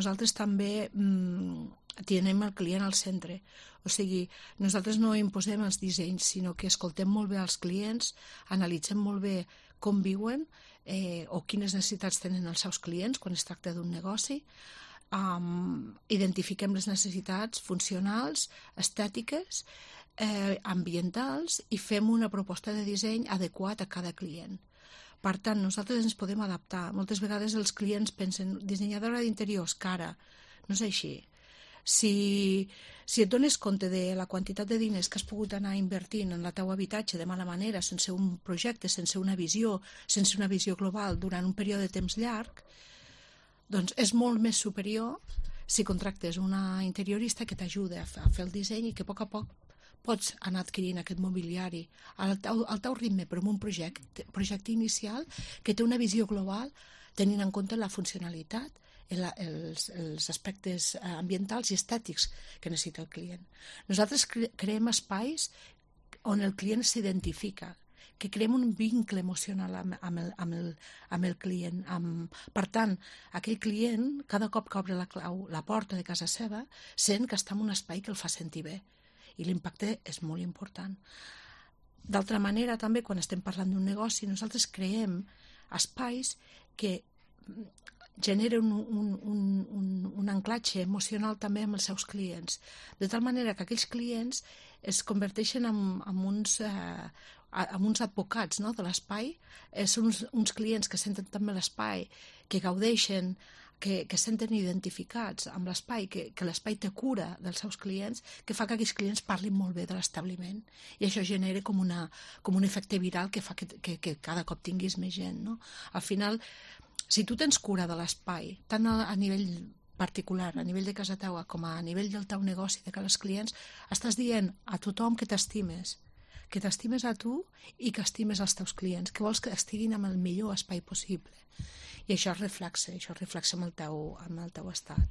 nosaltres també tenim el client al centre. O sigui, nosaltres no imposem els dissenys, sinó que escoltem molt bé els clients, analitzem molt bé com viuen o quines necessitats tenen els seus clients quan es tracta d'un negoci, identifiquem les necessitats funcionals, estètiques, ambientals i fem una proposta de disseny adequat a cada client. Per tant, nosaltres ens podem adaptar. Moltes vegades els clients pensen dissenyadora d'interiors, cara. No és així. Si et dones compte de la quantitat de diners que has pogut anar invertint en el teu habitatge de mala manera, sense un projecte, sense una visió global durant un període de temps llarg, doncs és molt més superior si contractes una interiorista que t'ajuda a fer el disseny i que a poc a poc pots anar adquirint aquest mobiliari al teu ritme, però amb un projecte inicial que té una visió global tenint en compte la funcionalitat, els aspectes ambientals i estètics que necessita el client. Nosaltres creem espais on el client s'identifica, que creem un vincle emocional amb el client. Per tant, aquell client, cada cop que obre la porta de casa seva, sent que està en un espai que el fa sentir bé. I l'impacte és molt important. D'altra manera, també, quan estem parlant d'un negoci, nosaltres creem espais que generen un anclatge emocional també amb els seus clients, de tal manera que aquells clients es converteixen en uns advocats, no?, de l'espai. Són uns clients que senten també l'espai, que gaudeixen, que senten identificats amb l'espai, que l'espai té cura dels seus clients, que fa que aquells clients parlin molt bé de l'establiment. I això genera com un efecte viral que fa que cada cop tinguis més gent, no? Al final, si tu tens cura de l'espai, tant a nivell particular, a nivell de casa teua, com a nivell del teu negoci, de cara als clients, estàs dient a tothom que t'estimes a tu i que estimes els teus clients, que vols que estiguin en el millor espai possible. I això es reflexa amb el teu estat.